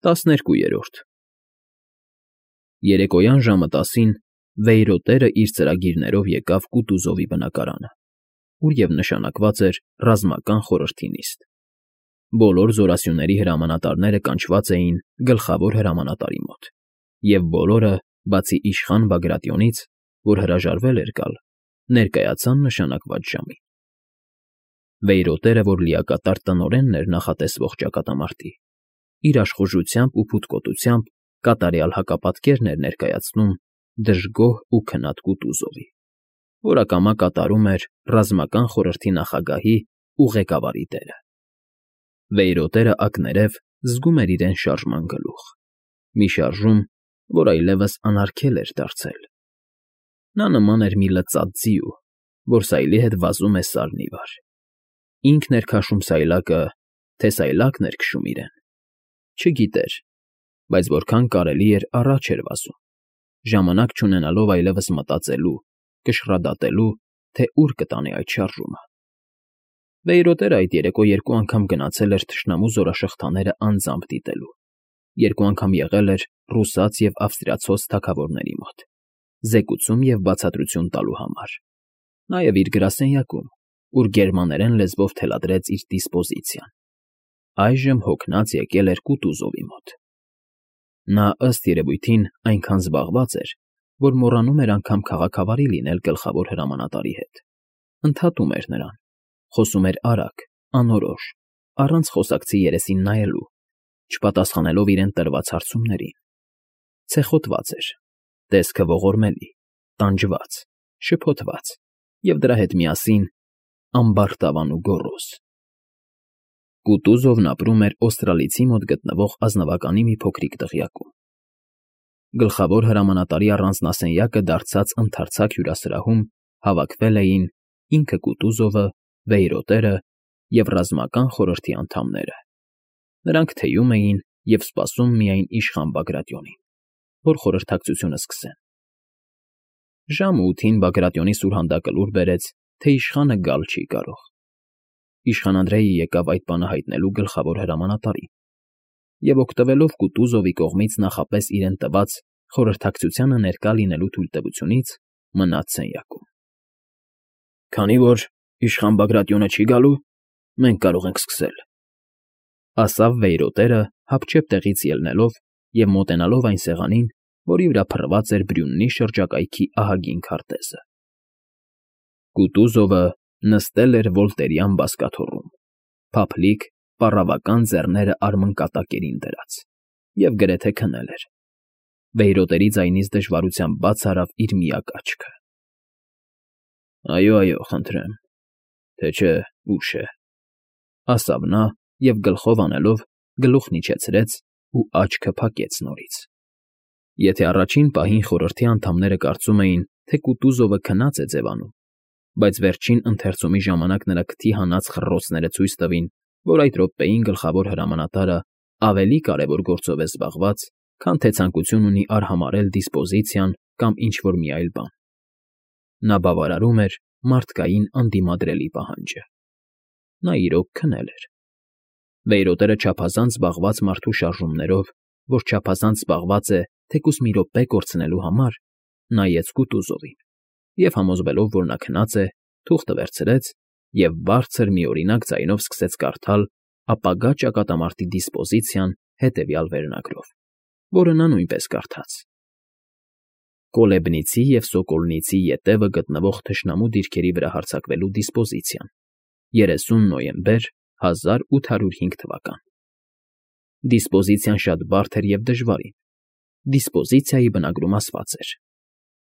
12-րդ Երեկոյան ժամը 10-ին Վեյրոտերը իր ծրագիրներով եկավ Կուտուզովի բնակարանը, ուր և նշանակված էր ռազմական խորհրդի նիստ։ Բոլոր զորասյուների հրամանատարները կանչված էին գլխավոր հրամանատարի մոտ, և բոլորը, բացի իշխան Բագրատիոնից, որ հրաժարվել էր գալ, ներկայացան նշանակված ժամին։ Վեյրոտերը, որ լիակատար տնօրենն էր նախատեսվող ճակատամարտի, իր աշխուժությամբ ու փութկոտությամբ կատարյալ հակապատկերն էր ներկայացնում դժգոհ ու քնած Կուտուզովի, որ ակամա կատարում էր ռազմական խորհրդի նախագահի ու ղեկավարի դերը։ Վեյրոտերը ակներև զգում էր իրեն շարժման գլուխ, մի շարժում, որ այլևս անարգել էր դարձել։ Նա նման էր մի լծած ձիու, որ սայլի հետ վազում է սարն ի վար։ Ինքն էր քաշում սայլակը, թե սայլակն էր քշում իրեն, չգիտեր, բայց որքան կարելի էր առաջ էր վազում, ժամանակ չունենալով այլևս մտածելու, կշռադատելու, թե ուր կտանի այդ շարժումը։ Վեյրոտերը այդ երեկո երկու անգամ գնացել էր թշնամու զորաշղթաները անձամբ դիտելու, երկու անգամ եղել էր ռուսաց և ավստրիացոց թագավորների մոտ, զեկուցում և բացատրություն տալու համար, նաև իր գրասենյակում, ուր գերմաներեն լեզվով թելադրեց իր դիսպոզիցիան։ Այժմ հոգնած եկել էր Կուտուզովի մոտ։ Նա, ըստ երևույթին, այնքան զբաղված էր, որ մոռանում էր անգամ քաղաքավարի լինել գլխավոր հրամանատարի հետ, ընդհատում էր նրան, խոսում էր արագ, անորոշ, առանց խոսակցի երեսին նայելու, չպատասխանելով իրեն տրված հարցումներին։ Ցեխոտված էր, տեսքը ողորմելի, տանջված, շփոթված և դրա հետ միասին ամբարտավան ու գոռոզ։ Կուտուզովն ապրում էր Օստրալիցի մոտ գտնվող ազնվականի մի փոքրիկ դղյակում։ Գլխավոր հրամանատարի առանձնասենյակը դարձած ընդարձակ հյուրասրահում հավաքվել էին ինքը Կուտուզովը, Վեյրոտերը և ռազմական խորհրդի անդամները։ Նրանք թեյում էին և սպասում միայն իշխան Բագրատիոնին, որ խորհրդակցությունը սկսեն։ Ժամը 8-ին Բագրատիոնի սուրհանդակը լուր բերեց, թե իշխանը գալ չի կարող։ Իշխան Անդրեյը եկավ այդ բանը հայտնելու գլխավոր հրամանատարին և, օգտվելով Կուտուզովի կողմից նախապես իրեն տված խորհրդակցությանը ներկա լինելու թույլտվությունից, մնաց սենյակում։ «Քանի որ իշխան Բագրատիոնը չի գալու, մենք կարող ենք սկսել», ֊ ասավ Վեյրոտերը, հապճեպ տեղից ելնելով և մոտենալով այն սեղանին, որի վրա փռված էր Բրյուննի շրջակայքի ահագին քարտեզը։ Կուտուզովը նստել էր վոլտերյան բազկաթոռում, փափլիկ, պառավական ձեռները արմնկատակերին դրած, և գրեթե քնել էր։ Վեյրոտերի ձայնից դժվարությամբ բաց արավ իր միակ աչքը։ «Այո, խնդրեմ, թե չէ ուշ է», ֊ ասավ նա և գլխով անելով գլուխն իջեցրեց ու աչքը փակեց նորից։ Եթե առաջին պահին խորհրդի անդամները կարծում էին, թե Կուտուզովը քնած է ձևանում, բայց վերջին ընթերցումի ժամանակ նրա քթի հանած խռռոցները ցույց տվին, որ այդ րոպեին գլխավոր հրամանատարը ավելի կարևոր գործով է զբաղված, քան թե ցանկություն ունի արհամարհել դիսպոզիցիան կամ ինչ֊որ մի այլ բան։ Նա բավարարում էր մարդկային անդիմադրելի պահանջը։ Նա իրոք քնել էր։ Վեյրոտերը չափազանց զբաղված մարդու շարժումներով, որ չափազանց զբաղված է թեկուզ մի րոպե կորցնելու համար, նայեց Կուտուզովին և, համոզվելով, որ նա քնած է, թուղթը վերցրեց և բարձր միօրինակ ձայնով սկսեց կարդալ ապագա ճակատամարտի դիսպոզիցիան հետևյալ վերնագրով, որը նա նույնպես կարդաց. Կոլեբնիցի և Սոկոլնիցի ետևը գտնվող թշնամու դիրքերի վրա հարձակվելու դիսպոզիցիան 30 նոյեմբեր 1805 թվական։ Դիսպոզիցիան շատ բարդ էր և դժվարին։ Դիսպոզիցիայի բնագրում ասված էր.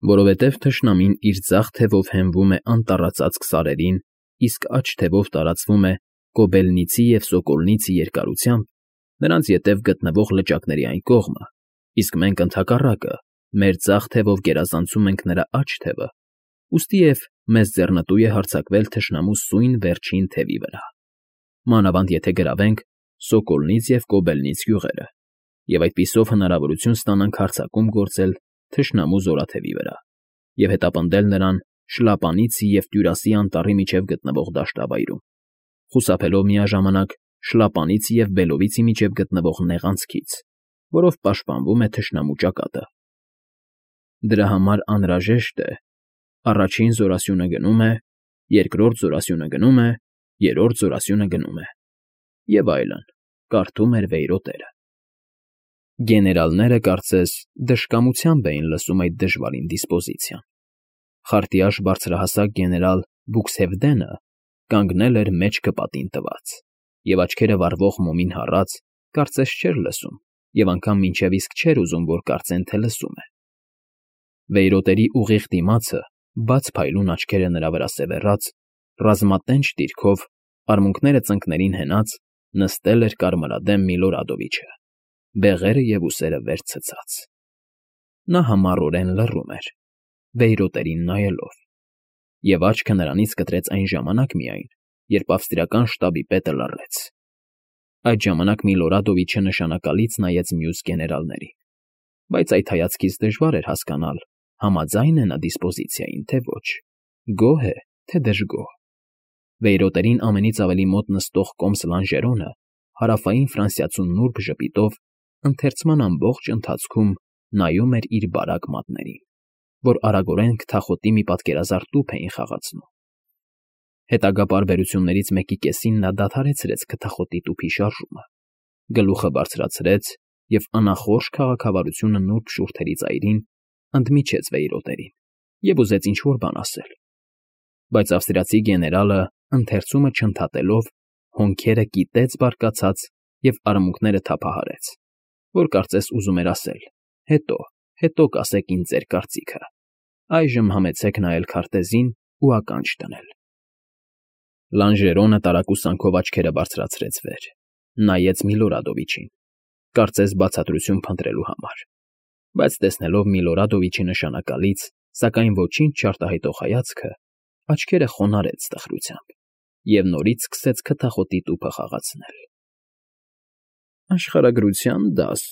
որովհետև թշնամին իր ձախ թևով հենվում է անտառածածկ սարերին, իսկ աջ թևով տարածվում է Կոբելնիցի և Սոկոլնիցի երկարությամբ, նրանց ետև գտնվող լճակների այն կողմը, իսկ մենք ընդհակառակը մեր ձախ թևով գերազանցում ենք նրա աջ թևը, ուստիև մեզ ձեռնտու է հարձակվել թշնամու սույն վերջին թևի վրա, մանավանդ եթե գրավենք Սոկոլնից և Կոբելնից գյուղերը, և այդպիսով հնարավորություն ստանանք հարձակում գործել թշնամու զորաթևի վրա և հետապնդել նրան Շլապանիցի և Տյուրասի անտառի միջև գտնվող դաշտավայրում, խուսափելով միաժամանակ Շլապանիցի և Բելովիցի միջև գտնվող նեղ անցքից, որով պաշտպանվում է թշնամու ճակատը։ Դրա համար անհրաժեշտ է. առաջին զորասյունը գնում է, երկրորդ զորասյունը գնում է, երրորդ զորասյունը գնում է, և այլն, կարդում էր վեյրոտերը։ Գեներալները, կարծես, դժկամությամբ էին լսում այդ դժվարին դիսպոզիցիան։ Խարտիաշ բարձրահասակ գեներալ Բուքսհևդենը կանգնել էր մեջքը պատին տված, և աչքերը վառվող մոմին հառած, կարծես չէր լսում, և անգամ մինչև իսկ չէր ուզում, որ կարծեն, թե լսում է։ Վեյրոտերի ուղիղ դիմացը, բաց փայլուն աչքերը նրա վրա սևեռած, ռազմատենչ դիրքով, արմունկները ծնկներին հենած, նստել էր կարմրադեմ Միլորադովիչը, բեղերը և ուսերը վեր ցցած։ Նա համառորեն լռում էր, վեյրոտերին նայելով, և աչքը նրանից կտրեց այն ժամանակ միայն, երբ ավստրիական շտաբի պետը լռեց։ Այդ ժամանակ Միլորադովիչը նշանակալից նայեց մյուս գեներալներին, բայց այդ հայացքից դժվար էր հասկանալ, համաձայն է նա դիսպոզիցիային, թե ոչ, գոհ է, թե դժգոհ։ Վեյրոտերին ամենից ավելի մոտ նստող կոմս Լանժերոնը հարավային ֆրանսիացու նուրբ ժպիտով ընթերցման ամբողջ ընթացքում նայում էր իր բարակ մատներին, որ արագորեն քթախոտի մի պատկերազարդ տուփ էին խաղացնում։ Հետագա պարբերություններից մեկի կեսին նա դադարեցրեց քթախոտի տուփի շարժումը, գլուխը բարձրացրեց և անախորժ քաղաքավարությունը նուրբ շուրթերի ծայրին ընդմիջեց վեյրոտերին և ուզեց ինչ֊որ բան ասել, բայց ավստրիացի գեներալը, ընթերցումը չընդհատելով, հոնքերը կիտեց բարկացած և արմունկները թափահարեց, որ կարծես ուզում էր ասել. հետո կասեք ինձ ձեր կարծիքը, այժմ համեցեք նայել քարտեզին ու ականջ դնել։ Լանժերոնը տարակուսանքով աչքերը բարձրացրեց վեր, նայեց Միլորադովիչին, կարծես բացատրություն փնտրելու համար, բայց տեսնելով Միլորադովիչի նշանակալից, սակայն ոչինչ չարտահայտող հայացքը, աչքերը խոնարհեց տխրությամբ և նորից սկսեց քթախոտի տուփը խաղացնել։ Աշխարհագրության դաս,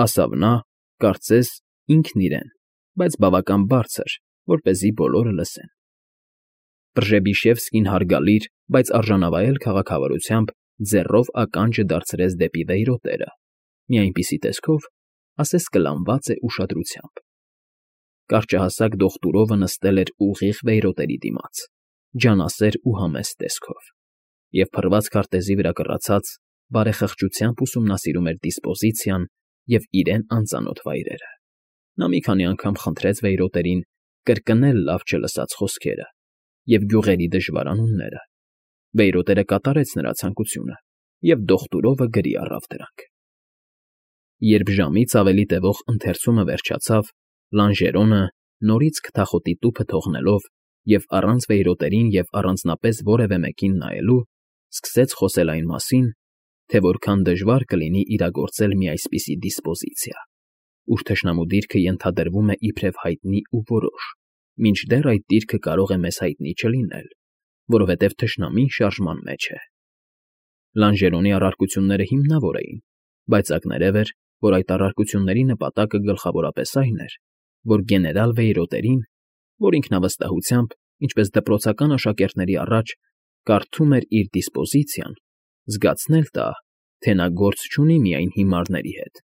ասավ նա, կարծես ինքն իրեն, բայց բավական բարձր, որպեսզի բոլորը լսեն։ Պրժեբիշևսկին հարգալիր, բայց արժանավայել քաղաքավարությամբ ձեռով ականջը դարձրեց դեպի վեյրոտերը, մի այնպիսի տեսքով, ասես կլանված է ուշադրությամբ։ Կարճահասակ դոկտուրովը նստել էր ուղիղ վեյրոտերի դիմաց, ջանասեր ու համեստ տեսքով, և փռված քարտեզի վրա կռացած, բարեխղճությամբ ուսումնասիրում էր դիսպոզիցիան և իրեն անծանոթ վայրերը։ Նա մի քանի անգամ խնդրեց վեյրոտերին կրկնել լավ չլսած խոսքերը և գյուղերի դժվարանունները։ Վեյրոտերը կատարեց նրա ցանկությունը, և դոկտուրովը գրի առավ դրանք։ Երբ ժամից ավելի տևող ընթերցումը վերջացավ, Լանժերոնը, նորից քթախոտի տուփը թողնելով և առանց վեյրոտերին և առանձնապես որևէ մեկին նայելու, սկսեց խոսել այն մասին, թե որքան դժվար կլինի իրագործել մի այսպիսի դիսպոզիցիա, ուր թշնամու դիրքը ենթադրվում է իբրև հայտնի ու որոշ, մինչդեռ այդ դիրքը կարող է մեզ հայտնի չլինել, որովհետև թշնամին շարժման մեջ է։ Լանժերոնի առարկությունները հիմնավոր էին, բայց ակներև էր, որ այդ առարկությունների նպատակը գլխավորապես այն էր, որ գեներալ Վեյրոտերին, որ ինքնավստահությամբ, ինչպես դպրոցական աշակերտների առաջ, կարդում էր իր դիսպոզիցիան, զգացնել տա, թե նա գործ չունի միայն հիմարների հետ,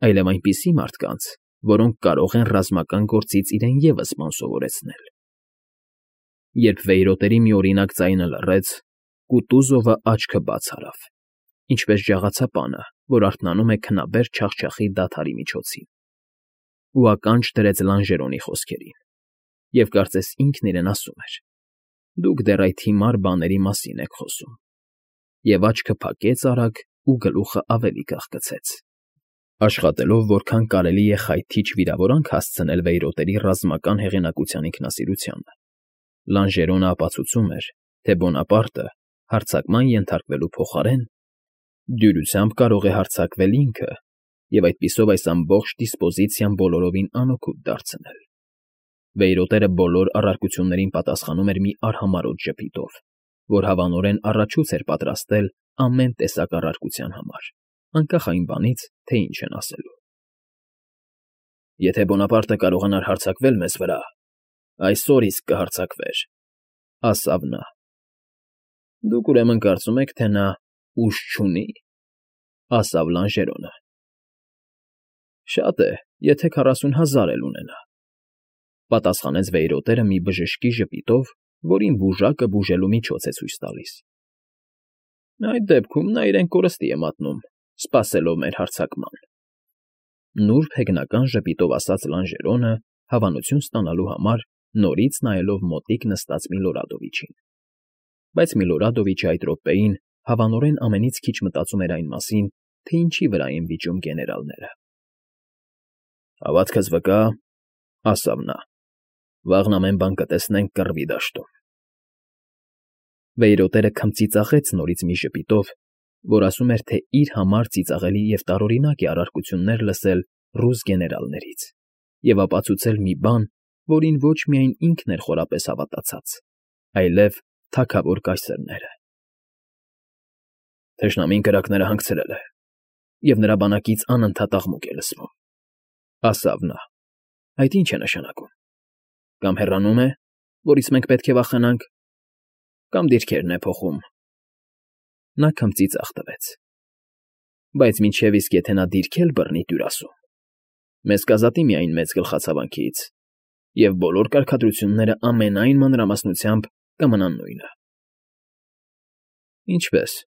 այլև այնպիսի մարդկանց, որոնք կարող են ռազմական գործից իրեն ևս բան սովորեցնել։ Երբ Վեյրոտերի մի օրինակ ձայնը լռեց, Կուտուզովը աչքը բաց արավ, ինչպես ջաղացապանը, որ արթնանում է քնաբեր չախչախի դադարի միջոցին, ու ականջ դրեց Լանժերոնի խոսքերին, և կարծես ինքն իրեն ասում էր. «Դուք դեռ այդ հիմար բաների մասին եք խոսում», և աչքը փակեց արագ ու գլուխը ավելի կախկցեց։ Աշխատելով որքան կարելի է խայթիչ վիրավորանք հասցնել Վեյրոտերի ռազմական հեղինակության ինքնասիրությանը, Լանժերոնը ապացուցում էր, թե Բոնապարտը հարձակման ենթարկվելու փոխարեն դյուրությամբ կարող է հարձակվել ինքը և այդպիսով այս ամբողջ դիսպոզիցիան բոլորովին անօգուտ դարձնել։ Վեյրոտերը բոլոր առարկություններին պատասխանում էր մի արհամարհոտ ժպիտով, որ հավանորեն առաջուց էր պատրաստել ամեն տեսակ առարկության համար, անկախ այն բանից, թե ինչ են ասելու։ «Եթե Բոնապարտը կարողանար հարձակվել մեզ վրա, այսօր իսկ կհարձակվեր», ասավ նա։ «Դուք ուրեմն կարծում եք, թե նա ուժ չունի», ասավ Լանժերոնը։ Շատ է, եթե 40,000 էլ ունենա,֊ պատասխանեց վեյրոտերը մի բժշկի ժպիտով, որին բուժակը բուժելու միջոց է ցույց տալիս։ Այդ դեպքում նա իրեն կորստի է մատնում, սպասելով մեր հարձակման,֊ նուրբ հեգնական ժպիտով ասաց Լանժերոնը, հավանություն ստանալու համար նորից նայելով մոտիկ նստած Միլորադովիչին։ Բայց Միլորադովիչը այդ րոպեին հավանորեն ամենից քիչ մտածում էր այն մասին, թե ինչի վրա են վիճում գեներալները։ Հավատքս վկա, ասավ նա, վաղն ամեն բան կտեսնենք կռվի դաշտում։ Վեյրոտերը քմծիծաղեց նորից մի ժպիտով, որ ասում էր, թե իր համար ծիծաղելի և տարօրինակ է առարկություններ լսել ռուս գեներալներից և ապացուցել մի բան, որին ոչ միայն ինքն էր խորապես հավատացած, այլև թագավոր կայսրները։ Թշնամին կրակները հանգցրել է, և նրա բանակից անընդհատ աղմուկ է լսվում,֊ ասավ նա։ Այդ ի՞նչ է նշանակում։ Կամ հեռանում է, որից մենք պետք է վախենանք, կամ դիրքերն է փոխում։ Նա քմծիծաղ տվեց։ Բայց մինչև իսկ եթե նա դիրքեր բռնի տյուր ասում, մեզ կազատի միայն մեծ գլխացավանքից, և բոլոր կարգադրությունները ամենայն մանրամասնությամբ կմնան նույնը։ Ինչպե՞ս,֊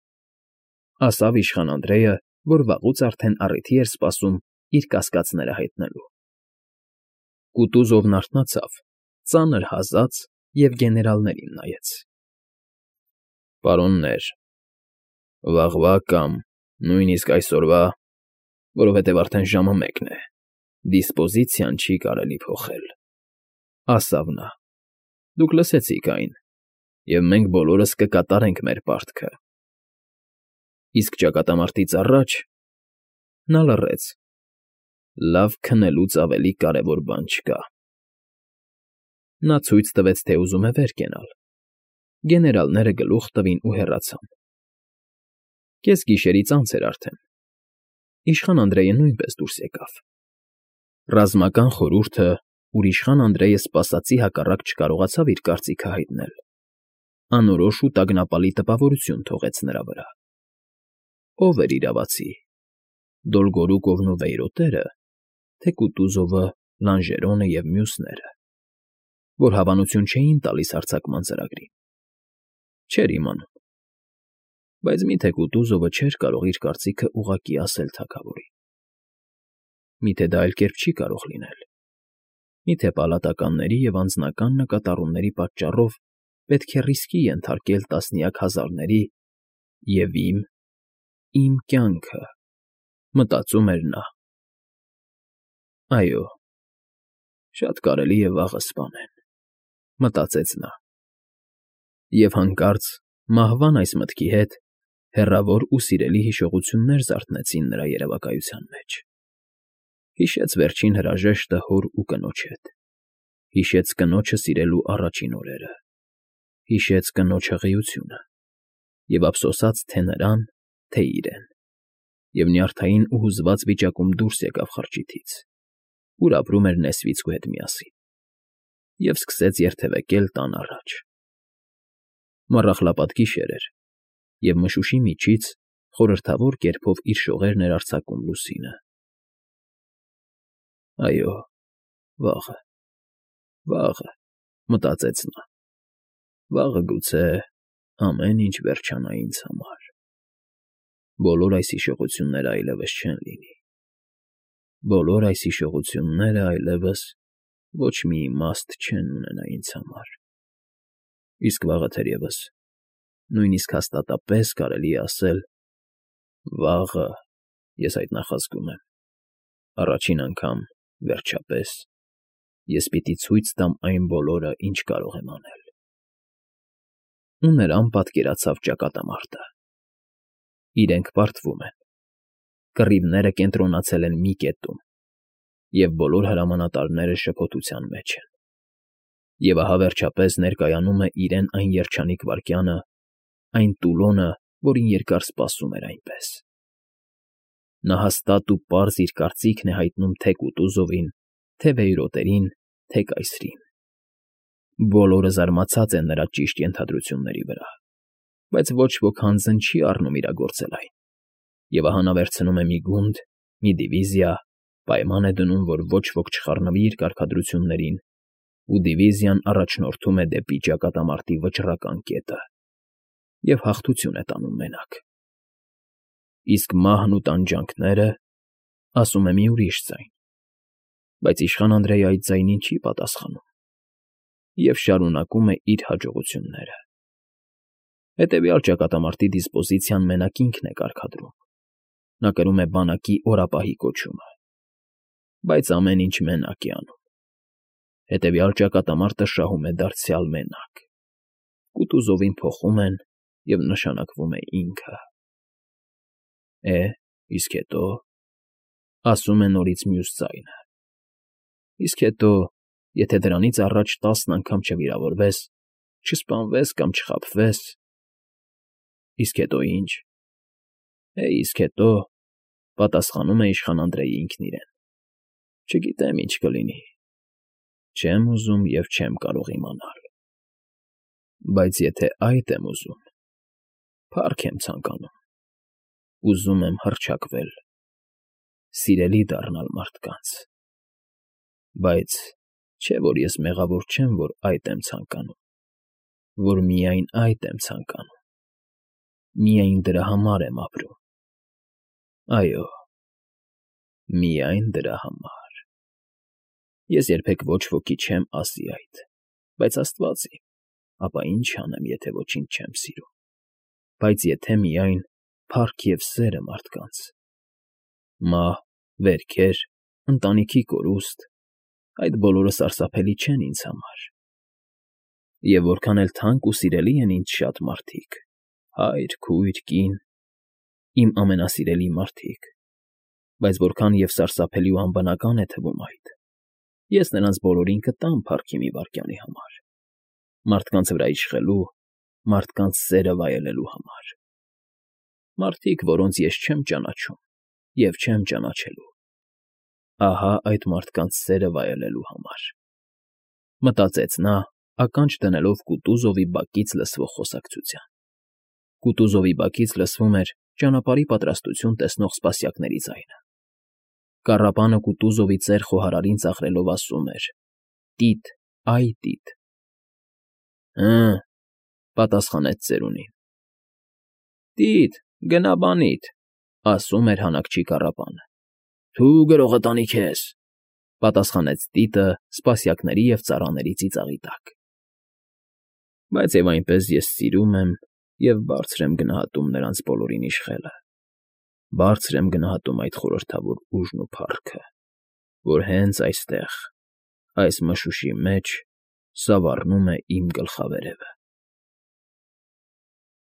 ասավ իշխան Անդրեյը, որ վաղուց արդեն առիթի էր սպասում իր կասկածները հայտնելու։ Կուտուզովն արթնացավ, ծանր հազաց և գեներալներին նայեց։ Պարոններ, վաղվա կամ նույնիսկ այսօրվա, որովհետև արդեն ժամը 1 է, դիսպոզիցիան չի կարելի փոխել,֊ ասավ նա։ Դուք լսեցիք այն, և մենք բոլորս կկատարենք մեր պարտքը։ Իսկ ճակատամարտից առաջ… Նա լռեց։ Լավ քնելուց ավելի կարևոր բան չկա։ Նա ցույց տվեց, թե ուզում է վեր կենալ։ Գեներալները գլուխ տվին ու հեռացան։ Կեսգիշերից անց էր արդեն։ Իշխան Անդրեյը նույնպես դուրս եկավ։ Ռազմական խորհուրդը, ուր իշխան Անդրեյը սպասածի հակառակ չկարողացավ իր կարծիքը հայտնել, անորոշ ու տագնապալի տպավորություն թողեց նրա վրա։ Ո՞վ էր իրավացի՝ Դոլգորուկովն ու վեյրոտերը, թե Կուտուզովը, Լանժերոնը և մյուսները, որ հավանություն չէին տալիս հարձակման ծրագրին։ Չէր իմանում։ Բայց մի՞թե Կուտուզովը չէր կարող իր կարծիքը ուղղակի ասել թագավորին։ Միթե դա այլ կերպ չի կարող լինել։ Միթե պալատականների և անձնական նկատառումների պատճառով պետք է ռիսկի ենթարկել տասնյակ հազարների և իմ կյանքը, մտածում էր նա։ Այո, շատ կարելի է վաղը սպանեն, մտածեց նա։ Եվ հանկարծ մահվան այս մտքի հետ հեռավոր ու սիրելի հիշողություններ զարթնեցին նրա երևակայության մեջ։ Հիշեց վերջին հրաժեշտը հոր ու կնոջ հետ, հիշեց կնոջը սիրելու առաջին օրերը, հիշեց կնոջ հղիությունը և ափսոսաց թե նրան, թե իրեն, և նյարդային ու հուզված վիճակում դուրս եկավ խրճիթից, ուր ապրում էր Նեսվիցկու հետ միասին, և սկսեց երթևեկել տան առաջ։ Մառախլապատ գիշեր էր, և մշուշի միջից խորհրդավոր կերպով իր շողերն էր արձակում լուսինը։ Այո, վաղը, մտածեց նա, վաղը գուցե ամեն ինչ վերջանա ինձ համար։ Բոլոր այս հիշողությունները այլևս չեն լինի։ Բոլոր այս հիշողությունները այլևս ոչ մի իմաստ չեն ունենա ինձ համար։ Իսկ վաղը թերևս նույնիսկ հաստատապես կարելի է ասել, վաղը, ես այդ նախազգում եմ, առաջին անգամ, վերջապես, ես պիտի ցույց տամ այն բոլորը, ինչ կարող եմ անել։ Ու նրան պատկերացավ ճակատամարտը։ Իրենք պարտվում են։ Կռիվները կենտրոնացել են մի կետում, և բոլոր հրամանատարները շփոթության մեջ են։ Եվ ահա վերջապես ներկայանում է իրեն այն երջանիկ վայրկյանը, այն տուլոնը, որին երկար սպասում էր այնպես։ Նա հաստատ ու պարզ իր կարծիքն է հայտնում թե Կուտուզովին, թե վեյրոտերին, թե կայսրին։ Բոլորը զարմացած են նրա ճիշտ ենթադրությունների վրա, բայց ոչ ոք հանձն չի առնում իրագործել այն։ Եվ ահա նա վերցնում է մի գունդ, մի դիվիզիա, Պայման է դնում, որ ոչ ոք չխառնվի իր կարգադրություններին, ու դիվիզիան առաջնորդում է դեպի ճակատամարտի վճռական կետը և հաղթություն է տանում մենակ։ Իսկ մահն ու տանջանքները, ասում է մի ուրիշ ձայն, բայց իշխան Անդրեյը այդ ձայնին չի պատասխանում և շարունակում է իր հաջողությունները։ Հետևյալ ճակատամարտի դիսպոզիցիան մենակ ինքն է կարգադրում, նա կրում է բանակի օրապահի կոչումը, բայց ամեն ինչ մենակ է անում։ Հետևյալ ճակատամարտը շահում է դարձյալ մենակ, Կուտուզովին փոխում են և նշանակվում է ինքը։ Իսկ հետո, ասում է նորից մյուս ձայնը, իսկ հետո, եթե դրանից առաջ 10 անգամ չվիրավորվես, չսպանվես կամ չխաբվես… Իսկ հետո ի՞նչ։ Իսկ հետո, պատասխանում է իշխան Անդրեյը ինքն իրեն, չգիտեմ ինչ կլինի, չեմ ուզում և չեմ կարող իմանալ, բայց եթե այդ եմ ուզում, փառք եմ ցանկանում, ուզում եմ հռչակվել, սիրելի դառնալ մարդկանց, բայց չէ՞ որ ես մեղավոր չեմ, որ այդ եմ ցանկանում, որ միայն այդ եմ ցանկանում, միայն դրա համար եմ ապրում, այո, միայն դրա համար… Ես երբեք ոչ ոքի չեմ ասի այդ, բայց Աստված իմ, ապա ինչ անեմ, եթե ոչինչ չեմ սիրում, բայց եթե միայն փառք և սերը մարդկանց… Մահ, վերքեր, ընտանիքի կորուստ… այդ բոլորը սարսափելի չեն ինձ համար… Եվ որքան էլ թանկ ու սիրելի են ինձ շատ մարդիկ, հայր, քույր, կին, իմ ամենասիրելի մարդիկ, բայց որքան և սարսափելի ու անբնական է թվում այդ, ես նրանց բոլորին կտամ փառքի մի վայրկյանի համար, մարդկանց վրա իշխելու, մարդկանց սերը վայելելու համար… Մարդիկ, որոնց ես չեմ ճանաչում և չեմ ճանաչելու, ահա այդ մարդկանց սերը վայելելու համար…֊ մտածեց նա՝ ականջ դնելով Կուտուզովի բակից լսվող խոսակցության։ Կուտուզովի բակից լսվում էր ճանապարհի պատրաստություն տեսնող սպասյակների ձայնը։ Կառապանը Կուտուզովի ծեր խոհարարին ծաղրելով ասում էր. «Տի՛տ, այ տի՛տ»։ «Հը՛», պատասխանեց ծերունին։ «Տի՛տ, գնա բանիդ», ասում էր հանաքչի կառապանը։ «Թու գրողը տանի քեզ», պատասխանեց տիտը սպասյակների և ծառաների ծիծաղի տակ։ «Բայց և այնպես ես սիրում եմ և բարձր եմ գնահատում նրանց բոլորին իշխելը, բարձր եմ գնահատում այդ խորհրդավոր ուժն ու փառքը, որ հենց այստեղ, այս մշուշի մեջ սավառնում է իմ գլխավերևը»։